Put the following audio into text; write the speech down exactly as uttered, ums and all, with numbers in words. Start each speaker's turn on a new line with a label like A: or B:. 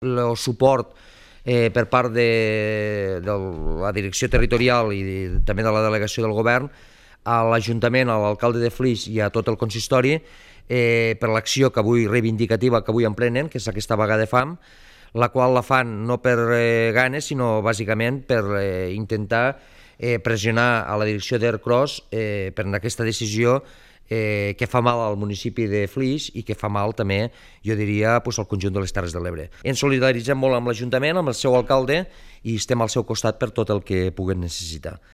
A: el suport eh, per part de, de la direcció territorial i de, també de la delegació del govern a l'Ajuntament, a l'alcalde de Flix i a tot el consistori eh, per l'acció que avui reivindicativa que avui emprenen, que és aquesta vaga de fam, la qual la fan no per eh, ganes, sinó bàsicament per eh, intentar eh, pressionar a la direcció d'Ercros eh, per aquesta decisió eh, que fa mal al municipi de Flix i que fa mal també, jo diria, pues, al conjunt de les Terres de l'Ebre. Ens solidaritzem molt amb l'Ajuntament, amb el seu alcalde, i estem al seu costat per tot el que puguen necessitar.